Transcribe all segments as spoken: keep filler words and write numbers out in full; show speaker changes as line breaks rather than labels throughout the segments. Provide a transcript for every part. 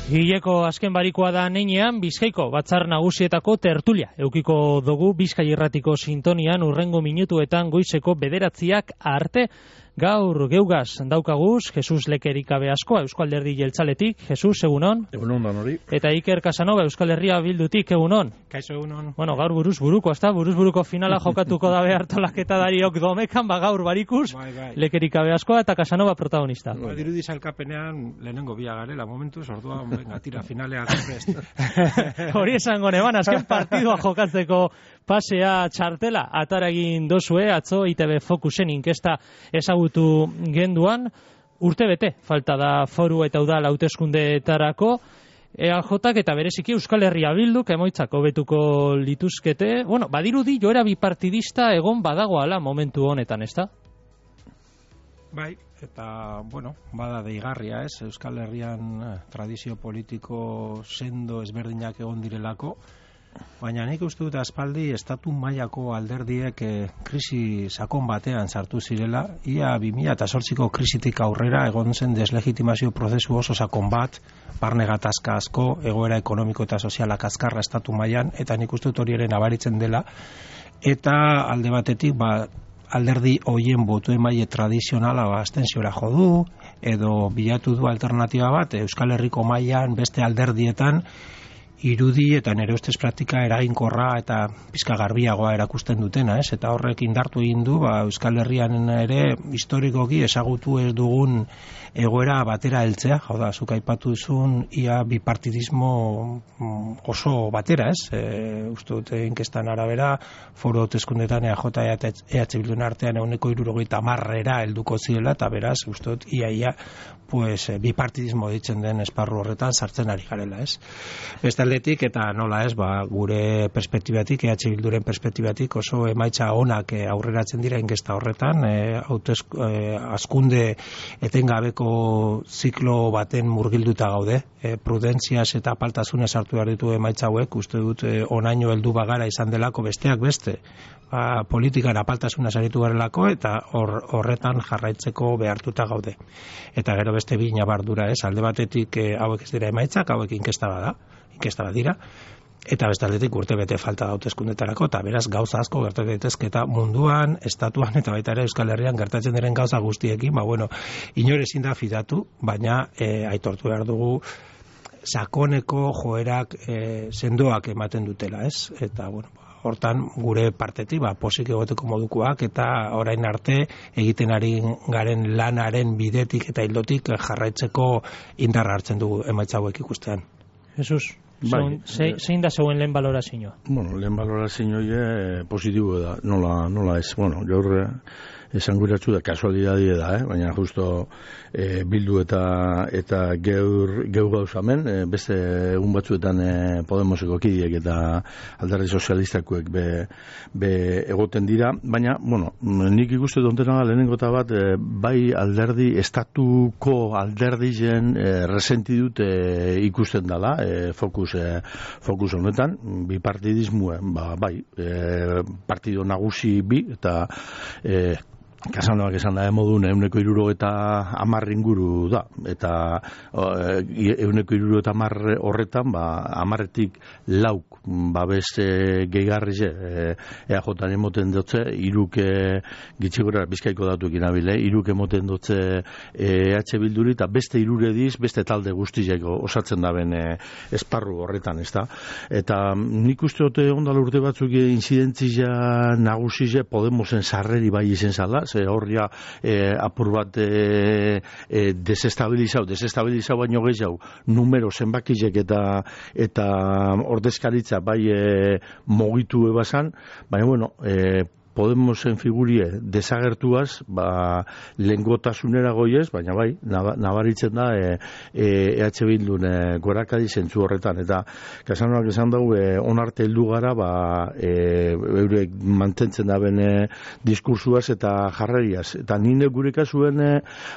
Hileko azken barikoa da neinean, Bizkaiko batzar nagusietako tertulia. Eukiko dugu Bizkai Irratiko sintonian urrengo minutuetan goizeko bederatziak arte. Gaur geugaz daukaguz, Jesus Lekerikabe askoa Euskal Alderdi Jeltzaletik. Jesus, egunon.
Egunon da nori.
Eta Iker Casanova Euskal Herria Bildutik, egunon.
Kaixo, egunon.
Bueno, gaur buruz buruko, ezta? Buruz buruko finala jokatuko da behar tolaketa dariok domekan, ba gaur barikuz,
bai, bai.
Lekerikabe askoa eta Casanova protagonista.
Ba, dirudi sailkapenean lehenengo bia garela momentuz, ordua, venga, tira, finalea prest.
Hori esango neban, azken partidua jokatzeko pasea txartela ataragin dozue, atzo I T B Focusen inkesta ezagutu genduan, urte bete, falta da foru eta udal hauteskundeetarako, E A Jak eta bereziki Euskal Herria Bilduk emoitzak hobetuko lituzkete, bueno, badirudi joera bipartidista egon badagoala momentu honetan, ezta?
Bai, eta, bueno, bada deigarria ez, Euskal Herrian eh, tradizio politiko sendo ezberdinak egon direlako, baina nik uste dut aspaldi estatu mailako alderdiek eh, krisi sakon batean sartu zirela, ia bi mila zortziko krisitik aurrera egon zen deslegitimazio prozesu oso sakon bat, barne gatazka asko, egoera ekonomiko eta sozialak azkarra estatu mailan, eta nik uste dut hori ere nabaritzen dela, eta alde batetik, ba, alderdi hoien botu emaile tradizionala ba, abstenziora jo du, edo bilatu du alternatiba bat, Euskal Herriko mailan beste alderdietan, irudi eta nire ustez praktika eraginkorra eta pizka garbiagoa erakusten dutena, ez? Eta horrek indartu egin du, ba, Euskal Herrian ere historikoki ezagutu ez dugun egoera batera heltzea, hau da, zuk aipatu duzun ia bipartidismo oso batera, ez? E, uste dut inkestan arabera, foru hauteskundetan E A J eta E H Bildun artean ehuneko hirurogeita hamarera helduko zirela, eta beraz, uste dut ia ia pues, bipartidismo ditzen den esparru horretan sartzen ari garela, ez? Beste aldetik, eta nola ez, ba, gure perspektibatik, E H Bilduren perspektibatik oso emaitza onak e, aurreratzen dira inkesta horretan, e, hautez, e, azkunde etengabeko ziklo baten murgilduta gaude, e, prudentziaz eta apaltasunez hartu behar ditu emaitza hauek, uste dut e, onaino heldu bagara izan delako besteak beste, ba, politikan apaltasunaz aritu garelako eta hor, horretan jarraitzeko behartuta gaude. Eta gero beste bi nabardura ez, alde batetik e, hauek ez dira emaitzak, hauek inkesta bada, inkesta bat dira, eta bestaldetik urte bete falta da hauteskundetarako, eta beraz gauza asko gertatu daitezke eta munduan, estatuan eta baita ere Euskal Herrian gertatzen diren gauza guztiekin, ba bueno, inor ezin da fidatu, baina e, aitortu behar dugu sakoneko joerak e, sendoak ematen dutela, ez? Eta bueno, hortan gure partetik ba, posik egoteko modukoak eta orain arte egiten ari garen lanaren bidetik eta hildotik jarraitzeko indarra hartzen dugu emaitza hauek ikustean.
Jesus,
Bai.
zein da zeuen lehen balorazioa?
Bueno, lehen balorazioa e, positibo da, nola, nola ez, bueno, gaur esan guratzu da, kasualidadie da, eh? Baina justo e, bildu eta eta geur, geur gauzamen, e, beste egun batzuetan e, Podemoseko kidiek eta alderdi sozialistakuek be, be egoten dira, baina, bueno, nik ikuste dontena da lehenengo eta bat, e, bai alderdi, estatuko alderdizen e, resenti dut e, ikusten dela, e, fokus, e, fokus honetan, bipartidismuen, ba, bai, e, partido nagusi bi, eta e, Kasanoak esan da emodun euneko iruro eta amar inguru da, eta euneko iruro eta amar horretan, ba, amarretik lauk, ba, beste gehigarrize, E A J emoten dutze, iruk gitxigora Bizkaiko datuekin abile, iruk emoten dutze E H Bilduri, eta beste irure diz, beste talde guztizeko osatzen da ben esparru horretan, ez da? Eta nik uste dute ondala urte batzuk inzidentzia nagusize Podemosen sarreri bai izen zala, ze horria e, apur bat e, e, desestabilizau, desestabilizau baino gehiago, numero zenbakizek eta eta ordezkaritza bai e, mogitu ebasan, baina bueno, e, Podemosen figurie desagertuaz, ba, lengotasunera goiez, baina bai, nabaritzen da e, e H Bildun e, gorakadi zentzu horretan, eta Kasanoak esan dugu, e, onarte heldu gara, ba, e, eurek mantentzen da bene diskursuaz eta jarreriaz, eta nire gure kasuen e,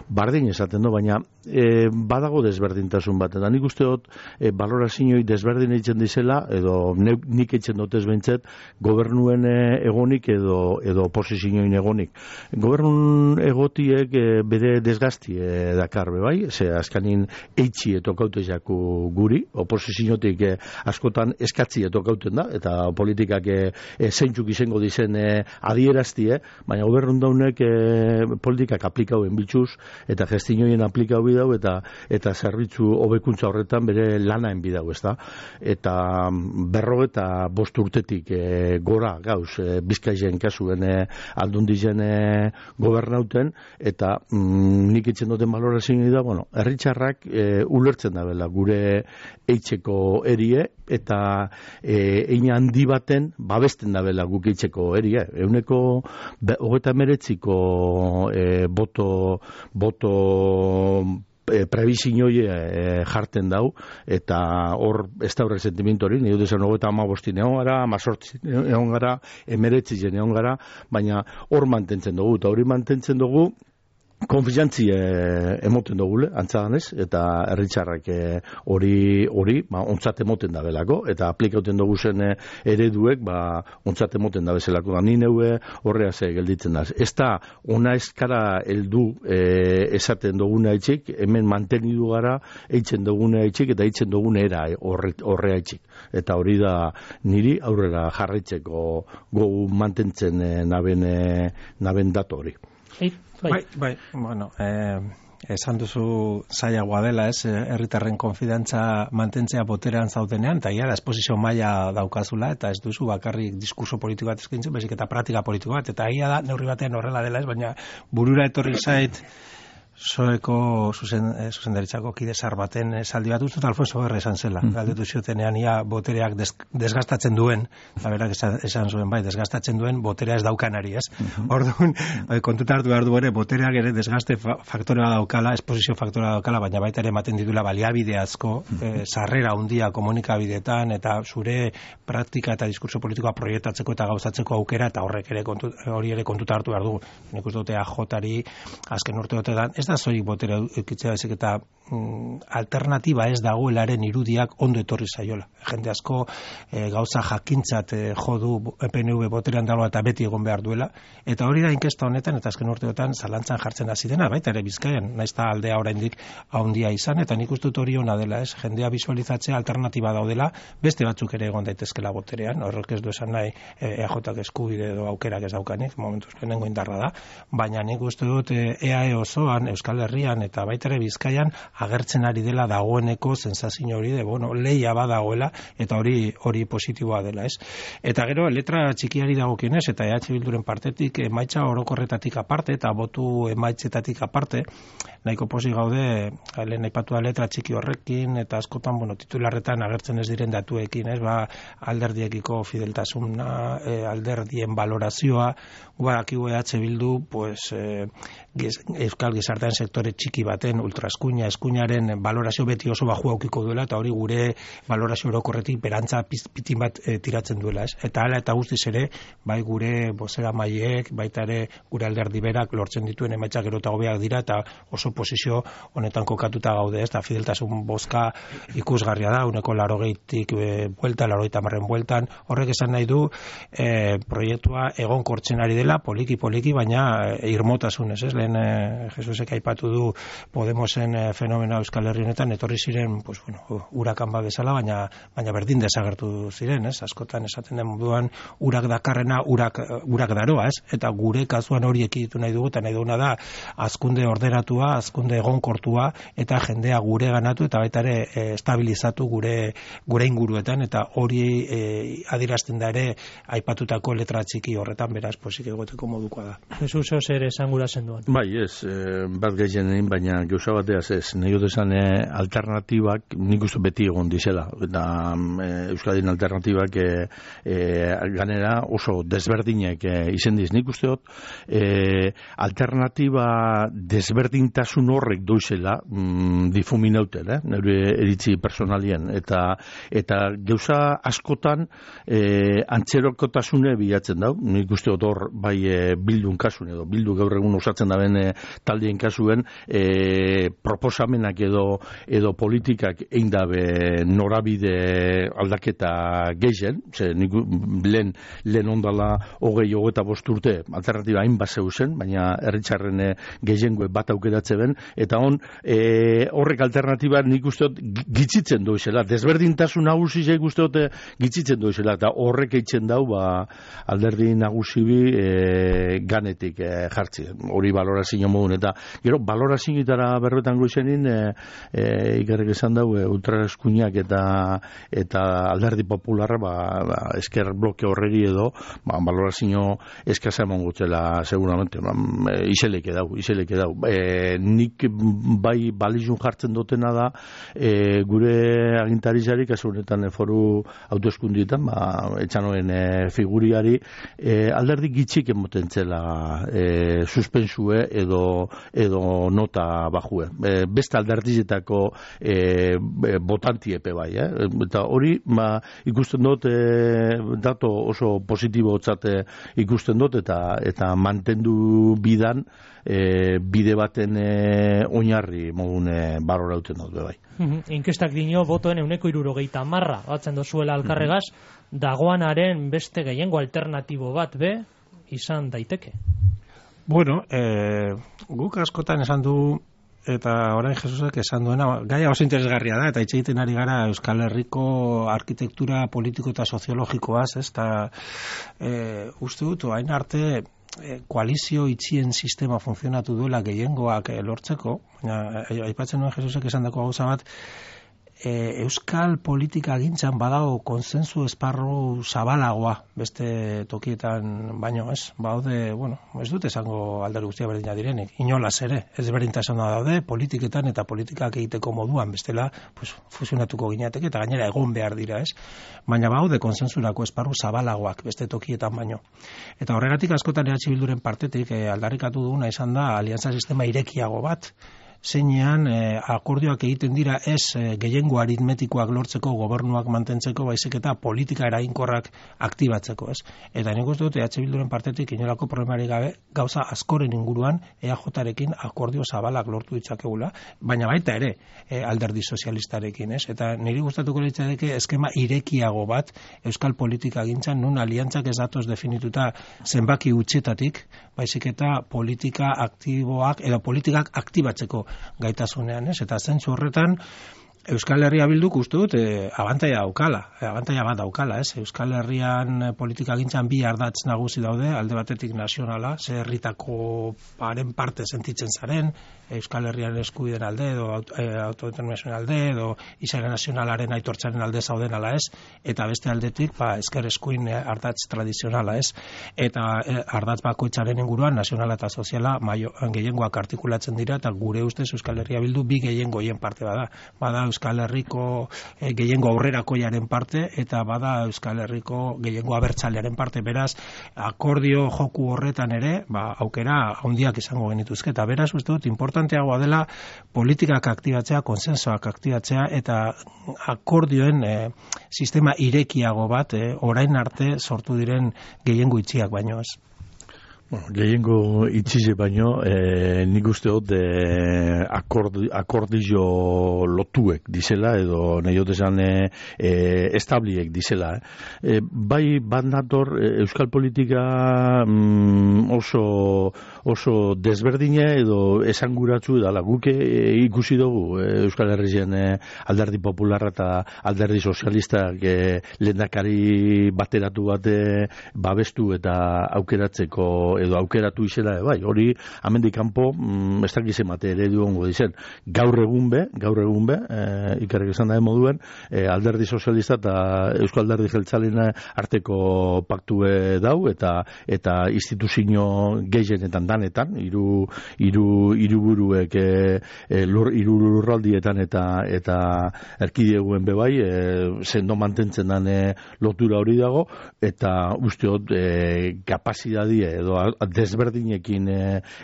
bardin esaten du, baina e, badago desberdintasun bat, eta nik uste dut e, balorazioi desberdin eitzen dizela, edo ne, nik eitzen dutez behintzet, gobernuen e, egonik edo edo, edo oposizioin egonik. Gobernun egotiek e, bere desgazti e, dakar bai, ze azkanin eitzi etokaute jaku guri, oposiziotik e, askotan eskatzi etokauten da, eta politikak e, e, zeintzuk izango dizen e, adieraztie, baina gobernun daunek e, politikak aplikauen bitxuz, eta gestinoien aplikau bidau, eta eta zerbitzu hobekuntza horretan bere lanaen bidau, ez da? Eta berro eta bost urtetik e, gora gauz e, Bizkaien kasuen e, aldundizen e, gobernauten, eta mm, nik itzen duten balorazioa da, bueno, herritxarrak e, ulertzen da bela gure eitzeko erie, eta e, ein handi baten babesten da bela guk eitzeko erie. Euneko hogeita meretziko e, boto boto E, prebizioie e, jarten dau, eta hor ez da horrek sentimiento hori, nire duzan hogeita amabostin egon gara, amazortzi egon gara, emeretzi zen egon gara, baina hor mantentzen dugu, eta hori mantentzen dugu, konfiantzi e, emoten dugule, antzadanez, eta herritxarrak hori, hori, ba, ontzat emoten da belako, eta aplikauten dugu zen e, ereduek, ba, ontzat emoten da bezalako, da, ni neue horrea ze gelditzen da. Ez da, ona eskara heldu e, esaten duguna etxik, hemen mantenidu gara, eitzen duguna etxik, eta eitzen duguna era horre, horrea etxik. Eta hori da, niri aurrera jarraitzeko gogu mantentzen e, naben, e, naben dato hori.
Bai,
bai, bai, bueno, eh, esan duzu zailagoa dela, ez, herritarren konfidantza mantentzea boterean zaudenean, eta ia da esposizio maila daukazula, eta ez duzu bakarrik diskurso politiko bat eskintzen, bezik eta praktika politiko bat, eta ia da neurri batean horrela dela, ez, baina burura etorri zait Soeko zuzen, zuzendaritzako kide zar baten esaldi bat uste, Alfonso Guerra esan zela. Mm-hmm. Galdetu ziotenean ia botereak des, desgastatzen duen, eta berak esan, esan zuen bai, desgastatzen duen boterea ez daukanari, ez? Mm-hmm. Orduan, kontuta hartu behar du ere, botereak ere desgaste faktorea daukala, esposizio faktorea daukala, baina baita ere ematen ditula baliabide asko, mm-hmm. eh, sarrera handia komunikabideetan, eta zure praktika eta diskurso politikoa proiektatzeko eta gauzatzeko aukera, eta horrek ere kontu, hori ere kontuta hartu behar du. Nik uste dute A J-ari azken urteotetan, ez da zoik botere eukitzea bezik eta mm, alternatiba ez dagoelaren irudiak ondo etorri zaiola. Jende asko e, gauza jakintzat e, jodu P N V boterean dagoela eta beti egon behar duela, eta hori da inkesta honetan eta azken urteotan zalantzan jartzen hasi dena, baita ere Bizkaian, naiz ta aldea oraindik handia izan, eta nik uste dut hori ona dela, ez, jendea bisualizatzea alternatiba daudela, beste batzuk ere egon daitezkela boterean, horrek ez du esan nahi E A J eskubide edo aukerak ez daukanik, momentuz lehenengo indarra da, baina nik uste dut E A E osoan, Euskal Herrian eta baita ere Bizkaian agertzen ari dela dagoeneko sensazio hori de, bueno, leia badagoela eta hori hori positiboa dela, ez? Eta gero letra txikiari dagokionez eta E H Bilduren partetik emaitza orokorretatik aparte eta botu emaitzetatik aparte, nahiko posi gaude lehen aipatu da letra txiki horrekin eta askotan, bueno, titularretan agertzen ez diren datuekin, ez? Ba, alderdiekiko fideltasuna, e, alderdien valorazioa, badakigu E H Bildu, pues eh, Euskal gizartean sektore txiki baten ultraeskuina, eskuinaren valorazio beti oso baju aukiko duela, eta hori gure valorazio orokorretik berantza pitin bat e, tiratzen duela, ez? Eta hala eta guztiz ere, bai gure bozera maileek, baita ere gure alderdi berak lortzen dituen emaitzak gero eta hobeak dira, eta oso posizio honetan kokatuta gaude, ez? Eta fideltasun bozka ikusgarria da, uneko larogeitik e, buelta, larogeita marren bueltan, horrek esan nahi du e, proiektua egon kortzen ari dela, poliki-poliki, baina e, irmotasunez, ez? Lehen e, Jesusek aipatu du Podemosen e, fenomena Euskal Herri honetan etorri ziren, pues bueno, urakan bat bezala, baina baina berdin desagertu ziren, ez? Askotan esaten den moduan urak dakarrena urak urak daroa, ez? Eta gure kasuan hori ekiditu nahi dugu, eta nahi duguna da hazkunde orderatua, hazkunde egonkortua eta jendea gure ganatu eta baita ere e, estabilizatu gure gure inguruetan, eta hori e, adierazten da ere aipatutako letra txiki horretan, beraz posik egoteko modukoa da.
Jesus zer esangura zenduan.
Bai, ez, e, bat gehienein, baina gauza bateaz ez, nahi dut esan e, alternatibak nik uste beti egon dizela, eta e, Euskadin alternatibak e, e, ganera oso desberdinek e, izen diz. Nik uste dut e, alternatiba desberdintasun horrek doizela mm, difuminauten, eh? Neure eritzi personalien, eta eta gauza askotan e, antzerokotasune bilatzen dau, nik uste dut hor bai e, bildun kasun edo bildu gaur egun osatzen da ben e, taldeen kasun kasuen e, proposamenak edo edo politikak egin dabe norabide aldaketa gehien, ze nik lehen, lehen ondala hogei hogeita bost urte alternatiba hain bat zeuzen, baina herritzarren gehiengoe bat aukeratze ben, eta on e, horrek alternatiba nik usteot gitzitzen doizela, desberdintasun nagusi zeik usteot gitzitzen doizela, eta horrek eitzen dau ba, alderdi nagusi bi e, ganetik e, jartzi, hori balorazio modun, eta gero balorazioetara berbetan goizenin e, e, ikarrik esan dau e, ultraeskuinak eta eta alderdi popularra ba, ba, esker bloke horreri edo ba, balorazio eskasa eman gutzela seguramente, ba, e, iseleke dau, iseleke dau. E, nik bai balizun jartzen dutena da e, gure agintarizarik kasu honetan foru autoeskundietan ba, etxanoen e, figuriari e, alderdi gitxik emoten zela e, suspensue edo, edo nota bajue. E, beste alderdizetako e, botantiepe bai, eh? Eta hori ba, ikusten dut e, dato oso positibo otzate ikusten dut eta, eta mantendu bidan e, bide baten e, oinarri modun e, barora uten dut bai.
Inkestak dino botoen euneko irurogeita marra batzen dozuela alkarregaz, dagoanaren beste gehiengo alternatibo bat be izan daiteke.
Bueno, eh, guk askotan esan du eta orain Jesusek esan duena, gaia oso interesgarria da, eta hitz egiten ari gara Euskal Herriko arkitektura politiko eta soziologikoaz, ez, eta e, uste dut, hain arte e, koalizio itxien sistema funtzionatu duela gehiengoak e, lortzeko, baina aipatzen nuen Jesusek esan dako gauza bat, E, Euskal politika gintzan badago konsensu esparru zabalagoa beste tokietan baino, ez? Baude, bueno, ez dut esango alderdi guztia berdina direnik, inolaz ere, ez berdintasuna daude politiketan eta politikak egiteko moduan, bestela, pues, fusionatuko ginateke eta gainera egon behar dira, ez? Baina baude konsensurako esparru zabalagoak beste tokietan baino. Eta horregatik askotan E H Bilduren partetik e, aldarrikatu duguna izan da aliantza sistema irekiago bat, zeinean eh, akordioak egiten dira ez eh, gehiengo aritmetikoak lortzeko, gobernuak mantentzeko, baizik eta politika eraginkorrak aktibatzeko, ez? Eta nik uste dut E H Bilduren partetik inolako problemarik gabe gauza askoren inguruan E A J-rekin akordio zabalak lortu ditzakegula, baina baita ere eh, alderdi sozialistarekin, ez? Eta niri gustatuko litzateke eskema irekiago bat euskal politika gintzan, nun aliantzak ez datoz definituta zenbaki utxetatik, baizik eta politika aktiboak edo politikak aktibatzeko gaitasunean, ez? Eta zentzu horretan Euskal Herria Bilduk uste dut e, abantaia daukala, e, abantaia bat daukala, ez? Euskal Herrian politika gintzan bi ardatz nagusi daude, alde batetik nazionala, ze herritako paren parte sentitzen zaren, Euskal Herrian eskubideen alde, edo e, autodeterminazioen alde, edo izaera nazionalaren aitortzaren alde zauden ala ez, eta beste aldetik, ba, esker eskuin e, ardatz tradizionala, ez? Eta e, ardatz bakoitzaren inguruan, nazionala eta soziala, maio, gehiengoak artikulatzen dira, eta gure ustez Euskal Herria Bildu bi gehiengoien parte bada. Bada Euskal Herriko e, gehiengo aurrerakoiaren parte, eta bada Euskal Herriko gehiengo abertzalearen parte, beraz, akordio joku horretan ere, ba, aukera handiak izango genituzke, eta beraz, uste dut, importanteagoa dela politikak aktibatzea, konsensoak aktibatzea, eta akordioen e, sistema irekiago bat, e, orain arte sortu diren gehiengo itxiak baino ez.
Bueno, gehiengo itxize baino, e, nik uste dut e, akordi, akordizio lotuek dizela, edo nahi dut esan e, e, establiek dizela. Eh? E, bai bat nator e, euskal politika mm, oso, oso desberdine edo esanguratzu edala. Guk e, ikusi dugu e, Euskal Herrien e, alderdi popularra eta alderdi sozialistak e, lehendakari bateratu bate babestu eta aukeratzeko edo aukeratu izela, bai, hori amendik kanpo, mm, ez dakiz emate eredu ongo dizen. Gaur egun be, gaur egun be, e, ikarrik esan da moduen, e, alderdi sozialista eta Euskal Alderdi Jeltzalena arteko paktue dau, eta eta instituzio gehienetan danetan, hiru hiru hiriburuek e, e, lur, hiru lurraldietan eta eta erkideguen be bai, e, sendo mantentzen dan e, lotura hori dago, eta usteot e, kapazidadi edo desberdinekin e,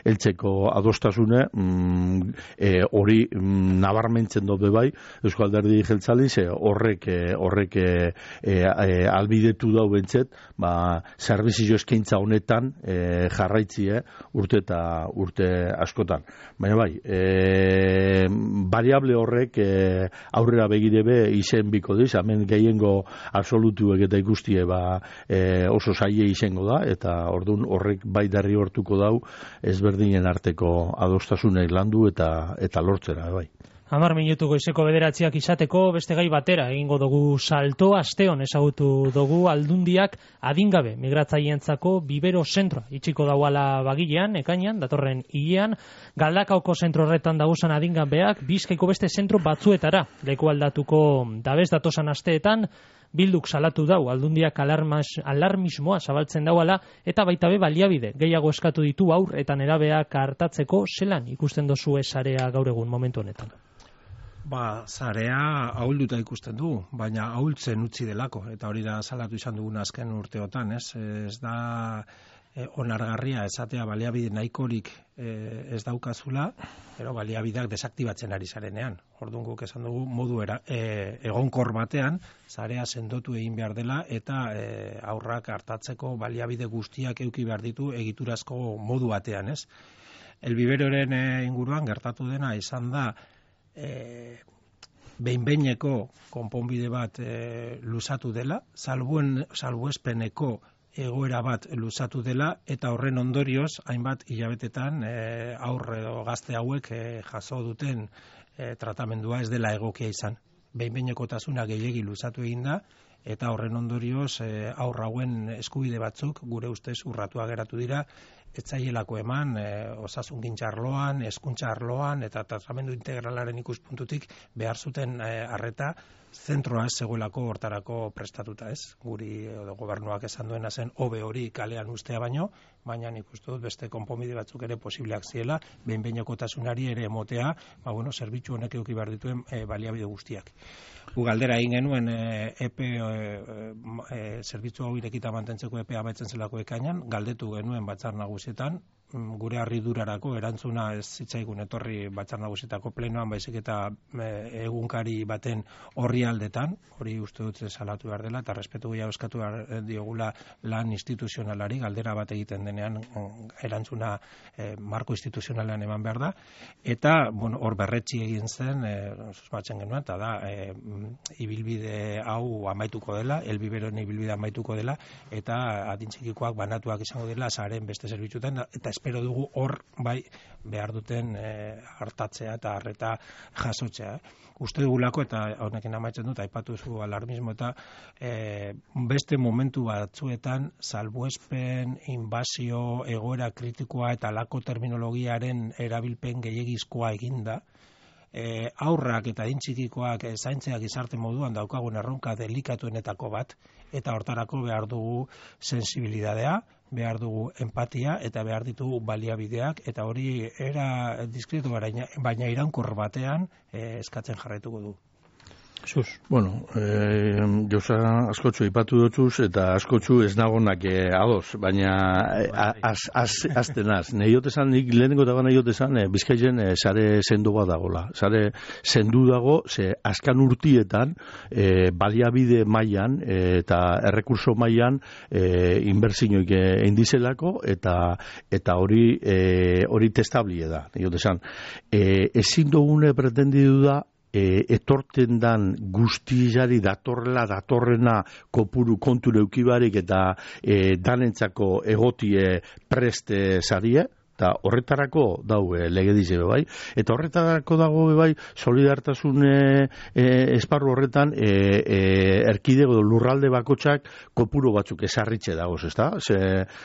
eltzeko adostasune mm, e, hori mm, nabarmentzen dobe bai Euskal Alderdi Jeltzali, ze horrek e, horrek e, e, albidetu dau bentzet, ba, zerbizio eskaintza honetan e, jarraitzie, urte eta urte askotan. Baina bai, e, variable horrek e, aurrera begirebe izen biko diz, hemen gehiengo absolutuek eta ikustie ba, e, oso zaie izango da, eta orduan horrek bai darri hortuko dau ezberdinen arteko adostasunek landu eta, eta lortzera, bai.
Hamar minutu goizeko bederatziak izateko beste gai batera egingo dugu salto. Asteon ezagutu dugu Aldundiak adingabe migratzaientzako bibero zentroa itxiko dauala Bagilean, ekainean, datorren hilean. Galdakaoko zentro horretan dagozan adingabeak Bizkaiko beste zentro batzuetara leku aldatuko dabez datosan asteetan. Bilduk salatu dau Aldundiak alarmas, alarmismoa zabaltzen dauala eta baita be baliabide gehiago eskatu ditu aur eta nerabeak hartatzeko. Zelan ikusten dozu sarea gaur egun momentu honetan?
Ba, zarea ahulduta ikusten du, baina ahultzen utzi delako, eta hori da salatu izan dugun azken urteotan, ez? Ez da e, onargarria esatea baliabide nahikorik e, ez daukazula, pero baliabideak desaktibatzen ari zarenean. Orduan guk esan dugu modu era, e, egonkor batean, zarea sendotu egin behar dela, eta e, aurrak hartatzeko baliabide guztiak eduki behar ditu egiturazko modu batean, ez? Elbiberoren e, inguruan gertatu dena izan da, E, behin-behineko konponbide bat e, luzatu dela, salbuen, salbuespeneko egoera bat luzatu dela, eta horren ondorioz, hainbat hilabetetan e, aurre edo gazte hauek e, jaso duten e, tratamendua ez dela egokia izan. Behin-behinekotasuna gehiegi luzatu egin da, eta horren ondorioz e, aurra hauen eskubide batzuk gure ustez urratua geratu dira, etzaielako eman, e, osasungintza arloan, hezkuntza arloan, eta tratamendu integralaren ikuspuntutik behar zuten e, arreta zentroa ez zegoelako hortarako prestatuta, ez? Guri edo gobernuak esan duena zen hobe hori kalean ustea baino, baina nik uste dut beste konponbide batzuk ere posibleak ziela, behin-behinekotasunari ere emotea, ba bueno, zerbitzu honek eduki behar dituen e, baliabide guztiak. Gu galdera egin genuen e, epe e, e, zerbitzu hau irekita mantentzeko epea amaitzen zelako ekainan, galdetu genuen batzar nagusietan, gure harridurarako erantzuna ez zitzaigun etorri batzar nagusietako plenoan, baizik eta e, egunkari baten orrialdetan, hori uste dut salatu behar dela, eta respetu gehiago eskatu behar diogula lan instituzionalari, galdera bat egiten denean erantzuna e, marko instituzionalean eman behar da, eta bueno, hor berretsi egin zen, e, susmatzen genuen, eta da, e, ibilbide hau amaituko dela, elbiberoen ibilbide amaituko dela, eta adintxikikoak banatuak izango dela, zaren beste zerbitzutan, eta espero dugu hor bai behar duten e, hartatzea eta harreta jasotzea. Eh. Uste dugulako, eta honekin amaitzen dut, aipatu zu alarmismo, eta e, beste momentu batzuetan salbuespen, inbasio, egoera kritikoa eta lako terminologiaren erabilpen gehiagizkoa eginda, e, aurrak eta adintxikikoak e, zaintzea gizarte moduan daukagun erronka delikatuenetako bat, eta hortarako behar dugu sensibilidadea, behar dugu empatia eta behar ditugu baliabideak, eta hori era diskretu baina iraunkor batean eh, eskatzen jarraituko du.
Sus. Bueno, eh, josa askotxu ipatu dutuz, eta askotxu ez nagonak eh, ados, baina aztenaz. Nei jotezan, nik lehenengo dago nahi jotezan, eh, Bizkaien eh, sare sendu bat dagoela. Sare sendu dago, ze askan urtietan, eh, baliabide mailan eh, eta errekurso mailan eh, inbertsioik egin dizelako, eta eta hori eh, hori testablie da. Nei jotezan, eh, ezin dugune pretendidu da, E, etorten dan guztizari datorrela, datorrena kopuru konture eukibarik eta e, danentzako egotie preste zarie, eta horretarako daue legedize bai, eta horretarako dago bai solidartasun e, e, esparru horretan e, e, erkidego lurralde bakotxak kopuru batzuk esarritxe dagoz, ezta? Ze,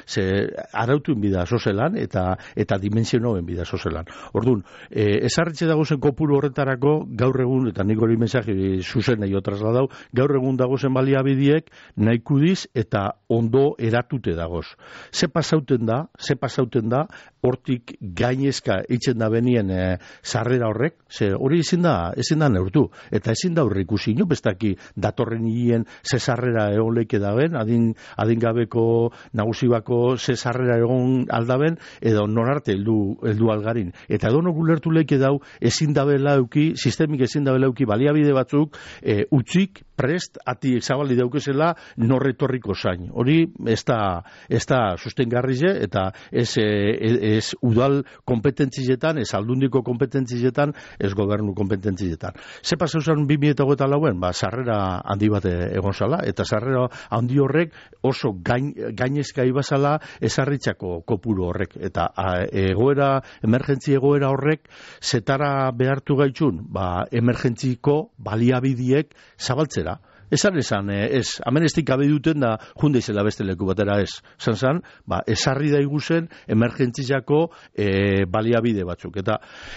ze arautuen bida sozelan eta eta dimensionoen bida sozelan. Orduan, e, esarritxe dagozen kopuru horretarako gaur egun, eta nik hori mensaje zuzen nahi otrasla dau, gaur egun dagozen baliabidiek nahikudiz eta ondo eratute dagoz. Ze pasauten da, ze pasauten da, hortik gainezka itzen da benien e, sarrera horrek, ze hori ezin da, ezin da neurtu, eta ezin da horri ikusi, ino bestaki datorren hien ze sarrera egon leike daben, adin, adingabeko nagusibako ze sarrera egon aldaben, edo nonarte heldu, heldu algarin. Eta edo no gulertu leike dau, ezin dabela euki, sistemik ezin dabela euki baliabide batzuk, e, utzik, prest, ati zabali daukezela, norretorriko zain. Hori ez da, ez da sustengarrize, eta ez e, e, ez udal kompetentzietan, ez aldundiko kompetentzietan, ez gobernu kompetentzietan. Ze pasa usan bi mila hogeita lauen, ba, sarrera handi bat egon zala, eta sarrera handi horrek oso gain, gainezka ibazala esarritzako kopuru horrek, eta a, egoera, emergentzi egoera horrek, zetara behartu gaitxun, ba, emergentziko baliabidiek zabaltzera. Esan esan, ez, hemen ez dikabe duten da junde izela beste leku batera ez. Zan zan, ba, esarri da iguzen emergentziako e, baliabide batzuk. Eta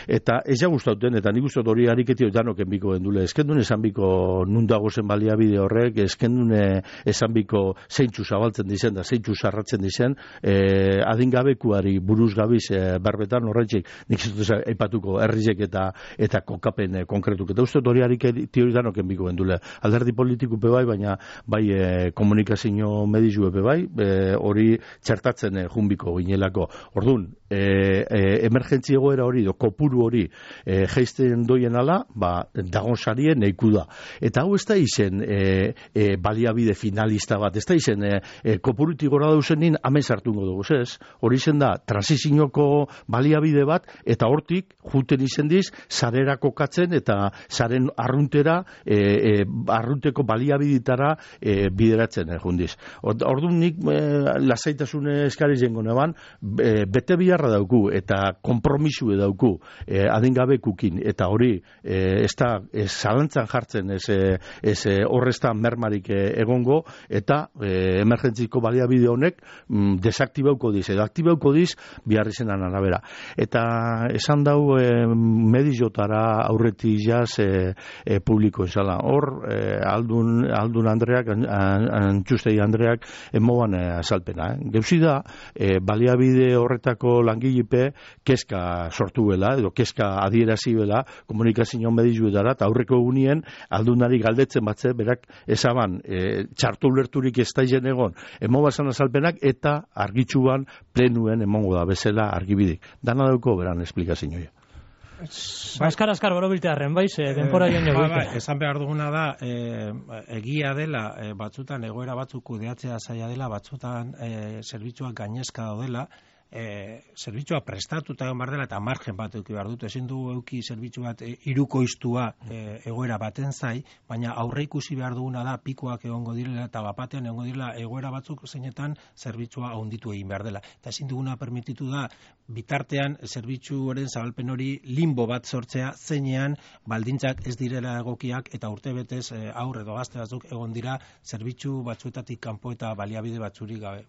eta ez ja gustauten, eta nik gustot hori hariketio danoken biko gendule. Eskendun esan biko nundago zen baliabide horrek, eskendun esan biko zeintxu zabaltzen dizen, da zeintxu sarratzen dizen, e, adingabekuari buruz gabiz e, berbetan horretxik, nik zutuz eipatuko herrizek eta eta kokapen e, konkretuk. Eta ustot hori hariketio danoken biko gendule. Alderdi politiko Be bai, baina bai e, komunikazio medizu epe bai, e, hori txertatzen e, junbiko ginelako. Ordun, e, e, emergentzi egoera hori, do, kopuru hori e, geizten doien ala, ba, dagon sarien neiku da. Eta hau ez da izen e, e, baliabide finalista bat, ez da izen e, e, kopurutik gora dauzenin amen sartungo dugu, ez? Hori izen da, transizioko baliabide bat, eta hortik, juten izen diz, sarera kokatzen, eta saren arruntera, e, e, arrunteko baliabiditara e, bideratzen eh, jundiz. Orduan nik e, lasaitasune eskari zengo neban, e, bete biharra dauku eta kompromisue dauku e, adingabekukin, eta hori e, ez da ez zalantzan jartzen ez, ez horreztan mermarik e, egongo, eta e, emergentziko baliabide honek mm, desaktibauko diz, edo aktibauko diz biharri zenan arabera. Eta esan dau e, medizotara aurreti jaz e, e, publiko esala. Hor, e, aldun Aldun Andreak, Antxustei Andreak emoan azalpena. Eh? Geuzi da, e, baliabide horretako langilepe kezka sortuela, edo kezka adierazibela komunikazio medizuetara, eta aurreko egunien aldunari galdetzen batze, berak ezaban e, txartu ulerturik ez daizen egon, emo bazan azalpenak, eta argitxuan plenuen emongo da bezala argibidik. Dana dauko beran esplikazioa.
Ba, eskar, eskar, bero biltearen, baiz, eh, denpora joan
joan. Ba, ba, esan behar duguna da, eh, egia dela, eh, batzutan egoera batzuk kudeatzea zaila dela, batzutan eh, zerbitzuak gainezka daudela, e, zerbitzua prestatuta egon behar dela eta margen bat eduki behar dut. Ezin du euki zerbitzu bat e, hirukoiztua e, egoera baten zai, baina aurre ikusi behar duguna da pikoak egongo direla eta bapatean egongo direla egoera batzuk zeinetan zerbitzua handitu egin behar dela. Eta ezin duguna permititu da bitartean zerbitzuaren zabalpen hori limbo bat sortzea zeinean baldintzak ez direla egokiak eta urtebetez e, aurre edo gazte batzuk egon dira zerbitzu batzuetatik kanpo eta baliabide batzurik gabe.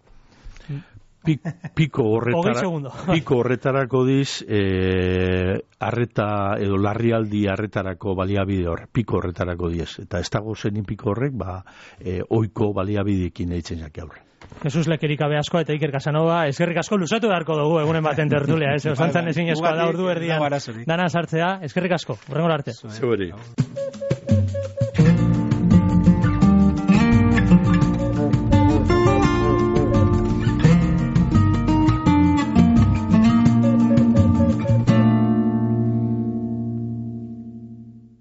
Piko horretara, piko horretarako diz, eh, arreta edo larrialdi arretarako baliabide hor, piko horretarako diez. Eta ez dago zenin piko horrek, ba, eh, oiko baliabidekin eitzen jake aurre.
Jesus Lekerikabe asko eta Iker Casanova, eskerrik asko luzatu beharko dugu egunen baten tertulia, ez? Osantzan ezin eskoa da ordu erdian dana sartzea, eskerrik asko, horrengor arte.
Zeberi.